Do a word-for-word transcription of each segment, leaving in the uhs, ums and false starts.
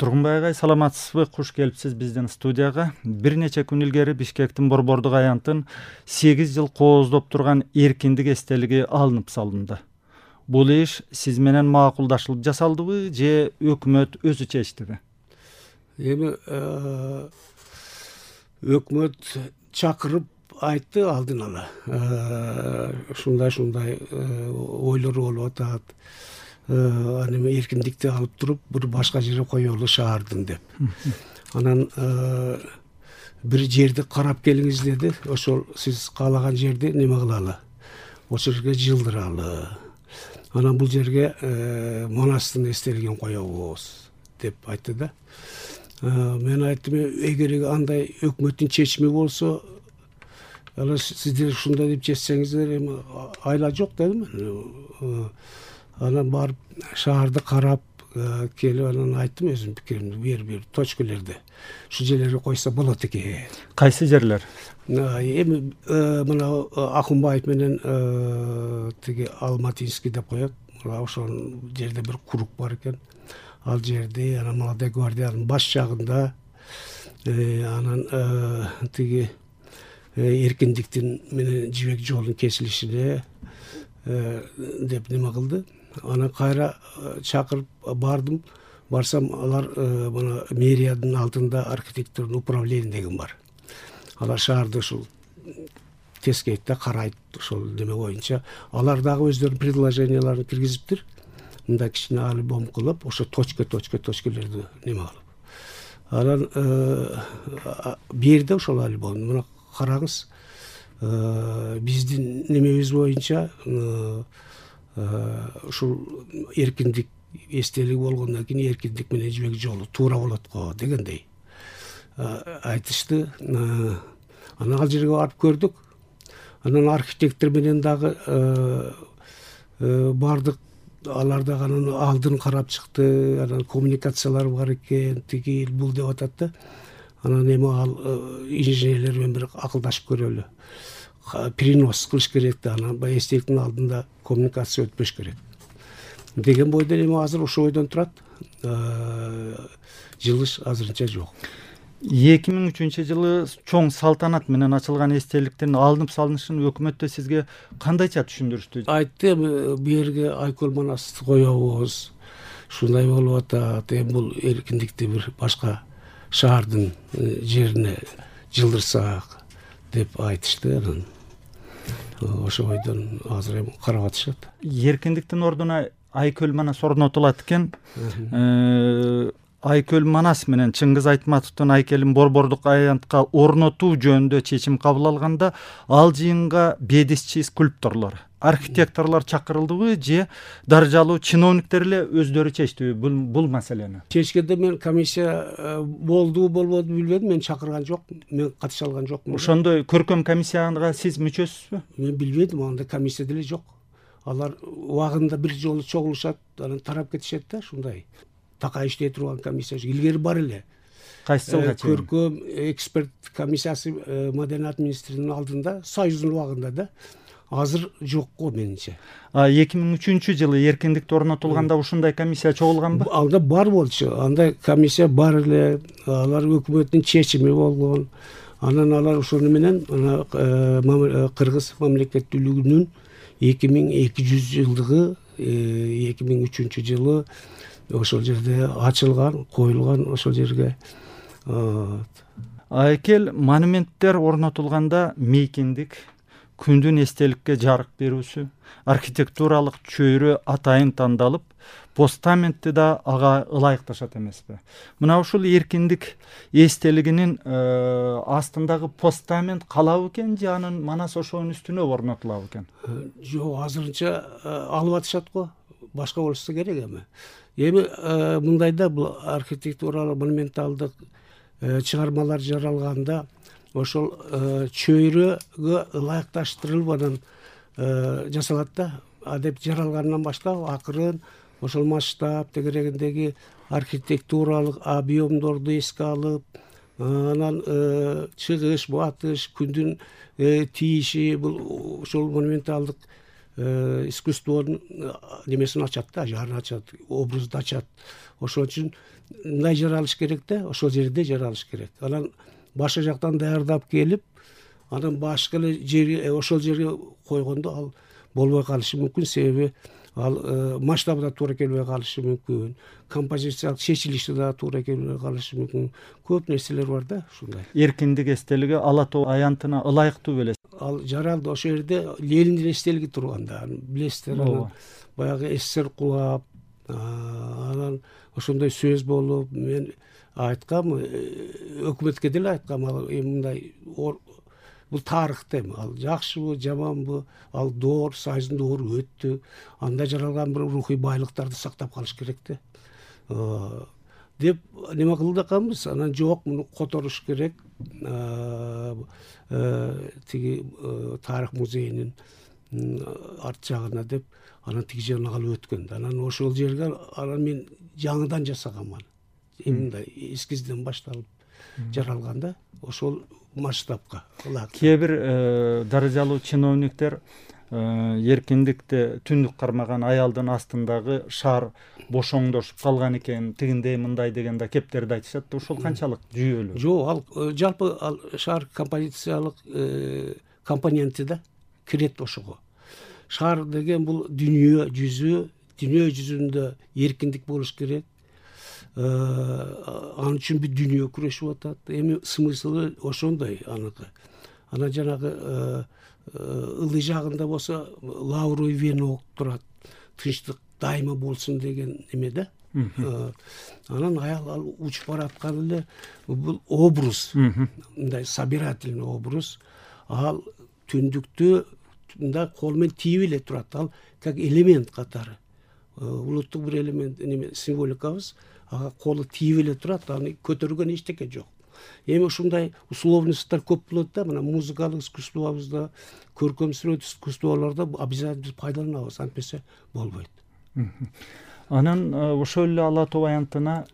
Тургунбай агай, саламатсызбы? Куш келипсиз биздин студияга. Бир нече күн илгери Бишкектин Борбордук аянтын сегиз жыл кооздоп турган эркиндик эстелиги алынып салынды. Бул иш сиз менен макулдашылып жасалдыбы же өкмөт өзү чечтиби? Эми өкмөт чакырып айтты алдын ала. Ушундай-ушундай ойлор болуп атат. Аны эркиндикти алып туруп, бир башка жерге коелу шаардын деп. Анан бир жерди карап келиңиз деди. Ошол сиз каалаган жерди неме кылалы? Ошол жерге жылдыралы. Анан бул жерге Манастын эстелигин коебуз деп айтты да. Мен айттым, эгер андай өкмөттүн чечими болсо, ала сиздер ушундай деп чечсеңиздер, эми айла жок дедим. Анан барып шаарды карап келип, анан айттым өзүмдүн пикиримди, бир бир точкалерди ушу жерлерге койсо болот экен. Кайсы жерлер? Эми мына Акунбаев менен тиги Алматинский деп коет. Ошол жерде бир курук бар экен. Ал жерде анан Молодой гвардиянын баш жагында, анан тиги эркиндиктин менен жибек жолдун кесилишине деп неме кылды. Анан кайра чакырып бардым. Барсам, алар мына мэриянын алдында архитектурный управление деген бар. Алар шаарды ушул тескейт да, карайт ошол неме боюнча. Алар дагы өздөрүнүн предложенияларын киргизиптир. Мындай кичине альбом кылып, ошо точка точка точкалерди неме кылып. Анан берди ошол альбомду. Мына караңыз, биздин немебиз боюнча ушул эркиндик эстелиги болгондон кийин эркиндик менен жибек жолу туура болот го дегендей айтышты. Анан ал жерге барып көрдүк. Анан архитектор менен дагы бардык. Алар дагы анан алдын карап чыкты. Анан коммуникациялар бар экен, тиги бул деп атат да. Анан эми ал инженерлер менен бир акылдашып көрөлү. Перенос кылыш керек да, анан баягы эстеликтин алдында коммуникация өтпөш керек деген бойдон эми азыр ошол ойдон турат. Жылыш азырынча жок. эки миң үчүнчү жылы чоң салтанат менен ачылган эстеликтин алынып салынышын өкмөттө сизге кандайча түшүндүрүштү? Айтты, бу жерге Айкөл Манасты коебуз. Ушундай болуп атат. Эми бул эркиндикти бир башка шаардын жерине жылдырсак деп айтышты. Анан ошол ойдон азыр эми карап атышат. Эркиндиктин ордуна Айкөл Манас орнотулат экен. Айкөл Манас менен Чыңгыз Айтматовдун айкелин Борбордук аянтка орнотуу жөнүндө чечим кабыл алганда, ал жыйынга бедисчи скульпторлор, архитекторлор чакырылдыбы же даражалуу чиновниктер эле өздөрү чечтиби бул бул маселени? Чечкенде мен комиссия болду болбоду билбедим, мен чакырган жок, мен катыша алган жокмун. Ошондой көркөм комиссияга сиз мүчөсүзбү? Мен билбедим, анда комиссия деле жок. Алар убагында бир жолу чогулушат, анан тарап кетишет да, ушундай. Така иштей турган комиссия илгери бар эле. Кайсы жылга чейин? Көркөм эксперт комиссиясы Маданият министринин алдында, Союздун убагында да. Азыр жок го менимче. А эки миң үчүнчү жылы эркиндикте орнотулганда ушундай комиссия чогулганбы? Анда бар болчу. Анда комиссия бар эле. Алар өкмөттүн чечими болгон. Анан алар ошону менен Кыргыз мамлекеттүүлүгүнүн эки миң эки жүз жылдыгы эки миң үчүнчү жылы ошол жерде ачылган, коюлган ошол жерге. Айкел монументтер орнотулганда мейкиндик, күндүн эстеликке жарык берүүсү, архитектуралык чөйрө атайын тандалып, постаментти да ага ылайыкташат эмеспи? Мына ушул эркиндик эстелигинин астындагы постамент калабы экен же анын Манас ошонун үстүнө орнотулабы экен? Жок, азырынча алып атышат го. Башка болсо керек эми. Эми мындайда бул архитектуралык монументалдык чыгармалар жаралганда ошол чөйрөгө ылайыкташтырылып анан жасалат да. Адеп жаралгандан баштап акырын ошол масштаб тегерегиндеги архитектуралык объемдорду эске алып, анан чыгыш, батыш, күндүн тийиши бул ошол монументалдык искусствонун немесин ачат да, жарын ачат, образды ачат. Ошон үчүн мындай жаралыш керек да, ошол жерде жаралыш керек. Анан башка жактан даярдап келип, анан башка эле жерге ошол жерге койгондо ал болбой калышы мүмкүн, себеби ал масштабы да туура келбей калышы мүмкүн, композициялык чечилиши да туура келбей калышы мүмкүн. Көп нерселер бар да ушундай. Эркиндик эстелиги Ала тоо аянтына ылайыктуу белес. Ал жаралды, ошол жерде Лениндин эстелиги турганда, билесиздер, анан баягы СССР кулап, анан ошондой сөз болуп, мен айткам, өкмөткө деле айткам, ал мындай бул тарыхта эми, ал жакшыбы, жаманбы, ал доор, Союздун доору өттү, анда жаралган бир рухий байлыктарды сактап калыш керек да. Деп неме кылды экенбиз, анан жок, муну которуш керек, тиги тарых музейинин арт жагына деп, анан тиги жагына калып өткөн. Анан ошол жерге анан мен жаңыдан жасагам аны. Мындай эскизден башталып жаралганда, ошол масштабка. Кээ бир даражалуу чиновниктер эркиндикте түндүк кармаган аялдын астындагы шаар бошоңдошуп калган экен, тигиндей мындай деген да кептерди айтышат да, ошол канчалык жүйөлүү? Жок, ал жалпы ал шаар композициялык компоненти да кирет ошого. Шаар деген бул дүйнө жүзү, дүйнө жүзүндө эркиндик болуш керек. Ал үчүн бүт дүйнө күрөшүп атат. Эми смыслы ошондой аныкы. Анан жанагы ылдый жагында болсо лавровый венок турат. Тынчтык дайыма болсун деген эме да. Анан аял ал учуп бараткан эле бул образ, мындай собирательный образ. Ал түндүктү мындай кол менен тийип эле турат. Ал как элемент катары. Улуттук бир элемент, неме символикабыз. Ага колу тийип эле турат, аны көтөргөн эчтеке жок. Эми ушундай условностьтар көп болот да, мына музыкалык искусствобузда, көркөм сүрөт искусстволордо обязательно пайдаланабыз, антпесе болбойт. Анан ошол эле Ала тоо аянтына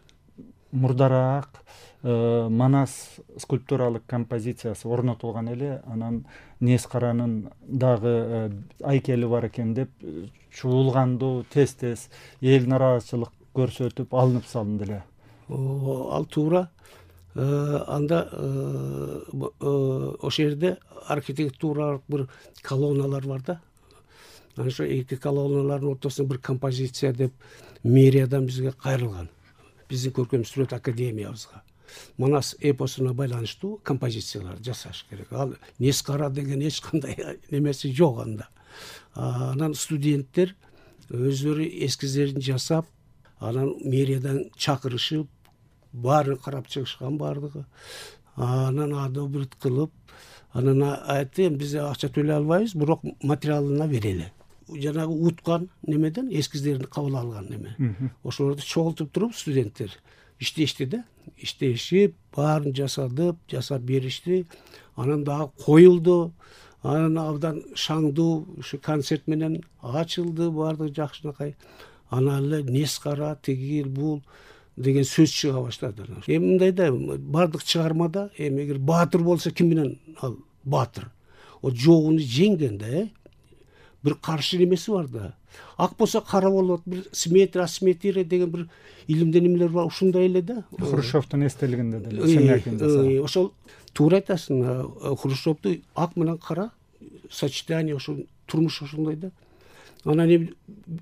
мурдараак Манас скульптуралык композициясы орнотулган эле, анан Нескаранын дагы айкели бар экен деп чуулгандуу тез-тез эл нааразычылык көрсөтүп алынып салынды эле. Ал туура. Анда ошол жерде архитектуралык бир колонналар бар да. Анан ошо эки колонналардын ортосунда бир композиция деп мэриядан бизге кайрылган. Биздин көркөм сүрөт академиябызга. Манас эпосуна байланыштуу композициялар жасаш керек. Ал Нескара деген эч кандай немеси жок анда. Анан студенттер өздөрү эскиздерин жасап, анан мэриядан чакырышып, баарын карап чыгышкан бардыгы. Анан адобрит кылып, анан айтты, биз акча төлөй албайбыз, бирок материалына берели. Жанагы уткан немеден эскиздерин кабыл алган неме. Ошолорду чогултуп туруп студенттер иштешти да, иштешип, баарын жасадып, жасап беришти. Анан дагы коюлду. Анан абдан шаңдуу ушу концерт менен ачылды, баардыгы жакшынакай. Анан эле Нескара, тигил, бул деген сөз чыга баштады. Эми мындай да, баардык чыгармада эми эгер баатыр болсо ким менен ал баатыр? О жогуну жеңген да, э? Бир каршы немеси бар да. Ак болсо кара болот, бир симметрия, асимметрия деген бир илимден немелер бар, ушундай эле да. Хрущевдун эстелигинде деле. Ошол туура айтасың, Хрущевду ак менен кара сочетание, ошо турмуш ошондой да. Анан эми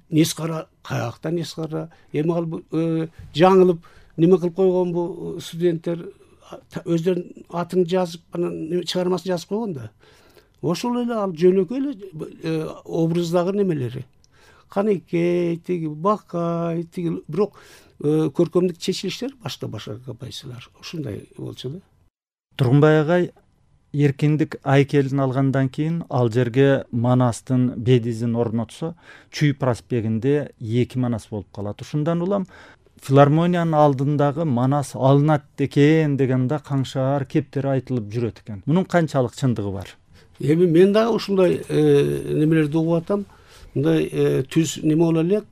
Нескара каякта Нескара, эми ал жаңылып неме кылып койгонбу студенттер, өздөрүнүн атын жазып, анан чыгармасын жазып койгон да. Ошол эле ал жөнөкөй эле образдагы немелери. Канекей, тиги Бакай, тиги, бирок көркөмдүк чечилиштер башка-башка композициялар ушундай болчу да. Тургунбай агай эркиндик айкелин алгандан кийин ал жерге Манастын бедизин орнотсо, Чүй проспектинде эки Манас болуп калат. Ушундан улам филармониянын алдындагы Манас алынат экен деген да каңшаар кептер айтылып жүрөт экен. Мунун канчалык чындыгы бар? Эми мен дагы ушундай немелерди угуп атам. Мындай түз неме боло элек.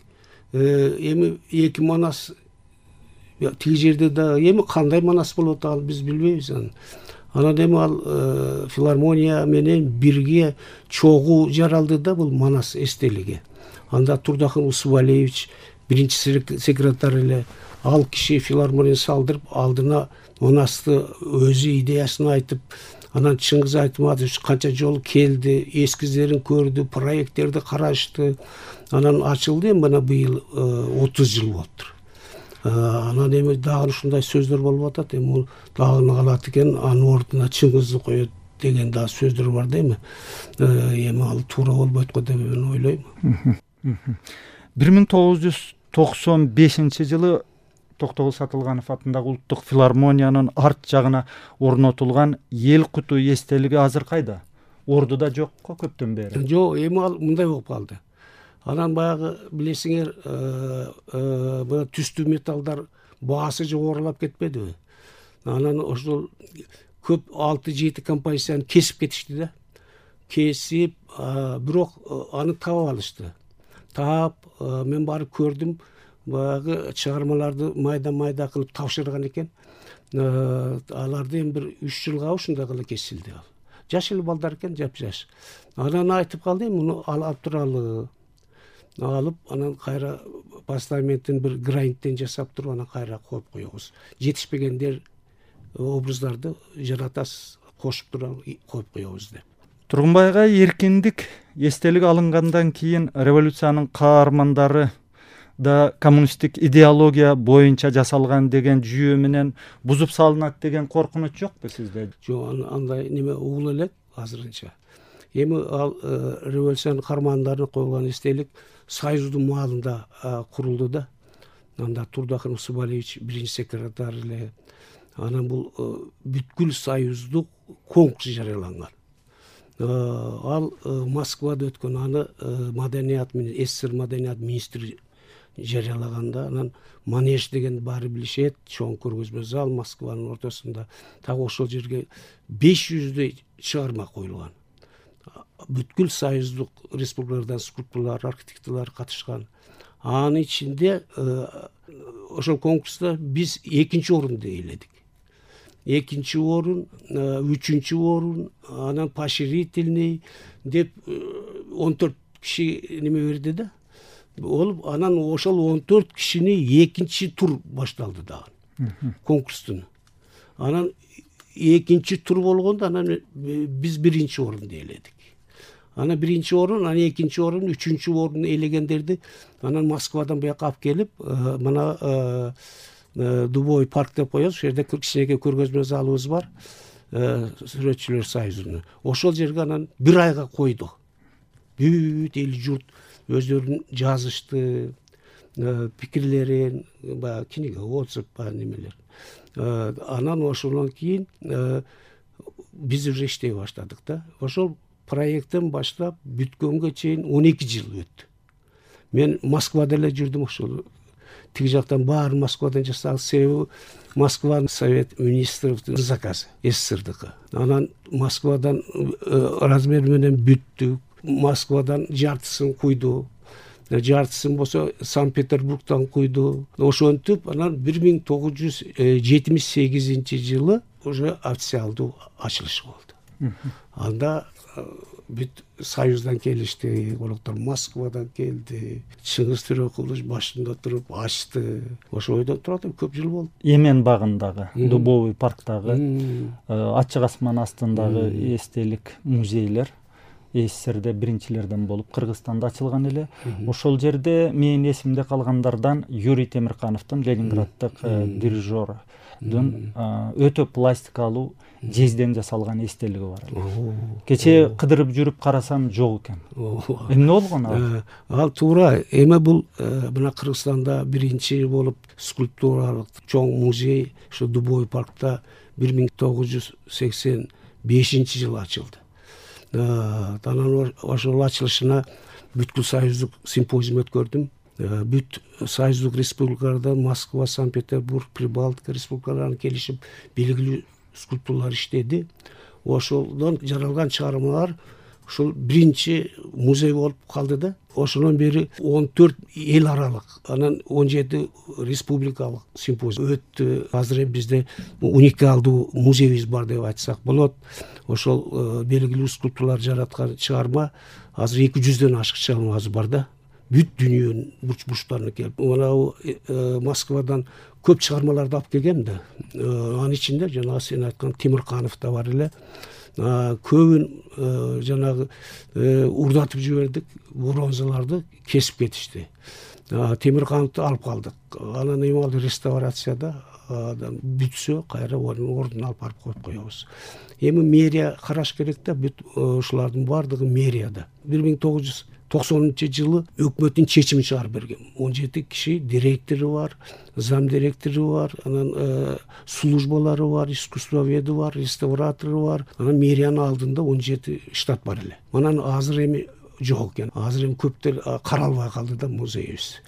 Эми эки Манас тиги жерде да эми кандай Манас болот ал биз билбейбиз. Анан эми ал филармония менен бирге чогуу жаралды да бул Манас эстелиги. Анда Турдахын Усубалиевич биринчи секретарь эле ал киши филармония салдырып, алдына монасты өзү идеясын айтып, анан Чыңгыз Айтматович канча жолу келди, эскиздерин көрдү, проекттерди карашты. Анан ачылды, мына быйыл отуз жыл болуптур. Анан эми дагы ушундай сөздөр болуп атат, эми бул дагы калат экен, анын ордуна Чыңгызды коет деген да сөздөр бар да эми. Эми ал туура болбойт го деп мен ойлойм. бир миң тогуз жүз токсон бешинчи жылы Токтогул Сатылганов атындагы Улуттук филармониянын арт жагына орнотулган эл куту эстелиги азыр кайда? Ордуда жокко көптөн бери. Жок, эми ал мындай болуп калды. Анан баягы билесиңер, мына түстүү металлдар баасы жогорулап кетпедиби? Анан ошол көп алты жети композицияны кесип кетишти да. Кесип, бирок аны таап алышты. Таап, мен барып көрдүм, баягы чыгармаларды майда-майда кылып тапшырган экен. Аларды эми бир үч жылга ушундай кылып кесилди ал. Жаш эле балдар экен, жап-жаш. Анан айтып калды, муну алып туралы. Алып, анан кайра постаменттин бир гранттен жасап туруп, анан кайра коюп коебуз. Жетишпегендер образдарды жаратасыз, кошуп туруп коюп коебуз деп. Тургунбайга эркиндик эстелик алынгандан кийин революциянын каармандары да коммунисттик идеология боюнча жасалган деген жүйө менен бузуп салынат деген коркунуч жокпу сизде? Жок, андай неме угула элек азырынча. Эми ал революциянын каармандарына коюлган эстелик Союздун маалында курулду да. Анда Турдахын Усубалевич биринчи секретарь эле. Анан бул бүткүл союздук конкурс жарыяланган. Ал Москвада өткөн, аны маданият менен СССР маданият министри жарыялаганда, анан Манеж деген баары билишет, чоң көргөзмө зал Москванын ортосунда. Так ошол жерге беш жүздөй чыгарма коюлган. Бүткүл союздук республикалардан скульпторлор, архитекторлор катышкан. Анын ичинде ошол конкурста биз экинчи орунду ээледик. Экинчи орун, үчүнчү орун, анан поощрительный деп он төрт киши неме берди да. Олуп, анан ошол он төрт кишини экинчи тур башталды дагы. Конкурстун. Анан экинчи тур болгондо анан биз биринчи орунду ээледик. Анан биринчи орун, анан экинчи орун, үчүнчү орун ээлегендерди анан Москвадан буяка алып келип, мына Дубовый парк деп коебуз. Ошол жерде кичинекей көргөзмө залыбыз бар. Сүрөтчүлөр союзунун. Ошол жерге анан бир айга койду. Бүт эл журт өздөрүн жазышты, пикирлерин, баягы книга отзыв, баягы немелер. Анан ошондон кийин биз уже иштей баштадык да. Ошол проекттен баштап бүткөнгө чейин он эки жыл өттү. Мен Москвада эле жүрдүм, ошол тиги жактан баары Москвадан жасалды. Себеби Москванын совет министрликтин заказы, СССРдыкы. Анан Москвадан размер менен бүттүк. Москвадан жартысын куйду. Жартысын болсо Санкт-Петербургдан куйду. Ошентип анан бир миң тогуз жүз жетимиш сегизинчи жылы уже официалдуу ачылыш болду. Анда бүт союздан келишти, кoloктор Москвадан келди. Чыңгыз Төрөкулович башында туруп ачты. Ошо ойдон турат, көп жыл болду. Эмен багындагы, Дубовый парктагы, ачык асман астындагы эстелик музейлер СССРде биринчилерден болуп Кыргызстанда ачылган эле. Ошол жерде менин эсимде калгандардан Юрий Темиркановдун, Ленинграддык дирижердун өтө пластикалуу жезден жасалган эстелиги бар эле. Кече кыдырып жүрүп карасам жок экен. Эмне болгон ал? Ал туура, эми бул мына Кыргызстанда биринчи болуп скульптуралык чоң музей ошо Дубовый паркта бир миң тогуз жүз сексен бешинчи жылы ачылды. Анан ошол ачылышына бүткүл союздук симпозиум өткөрдүм. Бүт союздук республикалардан Москва, Санкт-Петербург, Прибалтика республикаларынан келишип белгилүү скульпторлор иштеди. Ошолдон жаралган чыгармалар ушул биринчи музей болуп калды да. Ошондон бери он төрт эл аралык, анан он жети республикалык симпозиум өттү. Азыр бизде уникалдуу музейибиз бар деп айтсак болот. Ошол белгилүү скульпторлор жараткан чыгарма азыр эки жүздөн ашык чыгармабыз бар да. бүт дүйнөнүн бурч бурчтарына келип, мынау Москвадан көп чыгармаларды алып келгем да. Анын ичинде жанагы сен айткан Темирканов да бар эле. Көбүн жанагы урдатып жибердик, бронзаларды кесип кетишти. Темиркановду алып калдык. Анан эми ал реставрацияда бүтсө кайра ордуна алып барып коюп коебуз. Эми мэрия караш керек да, бүт ушулардын баардыгы мэрияда. бир миң тогуз жүз токсонунчу жылы өкмөттүн чечими чыгарып берген. он жети киши директору бар, зам директору бар, анан службалары бар, искусствоведи бар, реставратору бар. Анан мэриянын алдында он жети штат бар эле. Анан азыр эми жок экен. Азыр эми көптөр каралбай калды да музейибиз.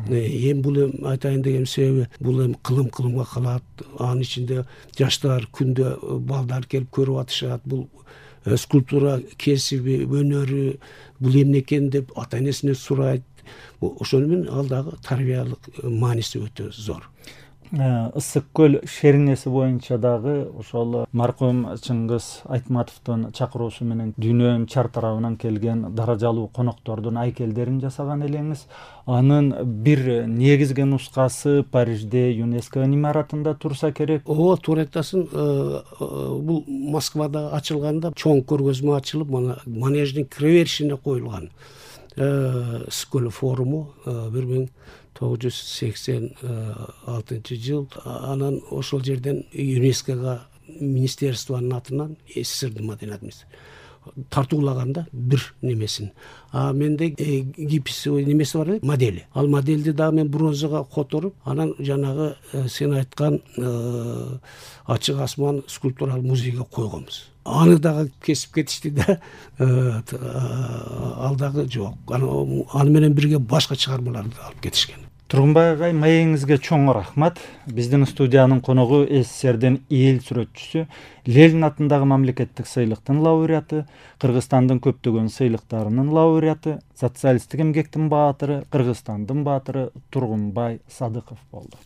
Эми бул эми айтайын деген себеби, бул эми кылым кылымга калат. Анын ичинде жаштар күндө балдар келип көрүп атышат. Бул скульптура кесиби, өнөрү бул эмне экен деп ата энесинен сурайт. Ошону менен ал дагы тарбиялык мааниси өтө зор. Ысык көл шериңеси боюнча дагы ошол маркум Чыңгыз Айтматовдун чакыруусу менен дүйнөнүн чар тарабынан келген даражалуу коноктордун айкелдерин жасаган элеңиз. Анын бир негизги нускасы Парижде ЮНЕСКО имаратында турса керек. Ооба, туура айтасың. Бул Москвада ачылганда чоң көргөзмө ачылып, мана манеждин кире беришине коюлган. Ысык форуму бир миң тогуз жүз сексен алтынчы жыл. Анан ошол жерден ЮНЕСКОга министерствонун атынан СССРдин маданият министри тартуулаганда бир немесин. А менде гипс немеси бар эле, модели. Ал модельди дагы мен бронзага которуп, анан жанагы сен айткан ачык асман скульптуралык музейге койгонбуз. Аны дагы кесип кетишти да, ал дагы жок. Аны менен бирге башка чыгармаларды алып кетишкен. Тургунбай агай, маегиңизге чоң рахмат. Биздин студиянын коногу СССРдин эл сүрөтчүсү, Ленин атындагы мамлекеттик сыйлыктын лауреаты, Кыргызстандын көптөгөн сыйлыктарынын лауреаты, социалисттик эмгектин баатыры, Кыргызстандын баатыры Тургунбай Садыков болду.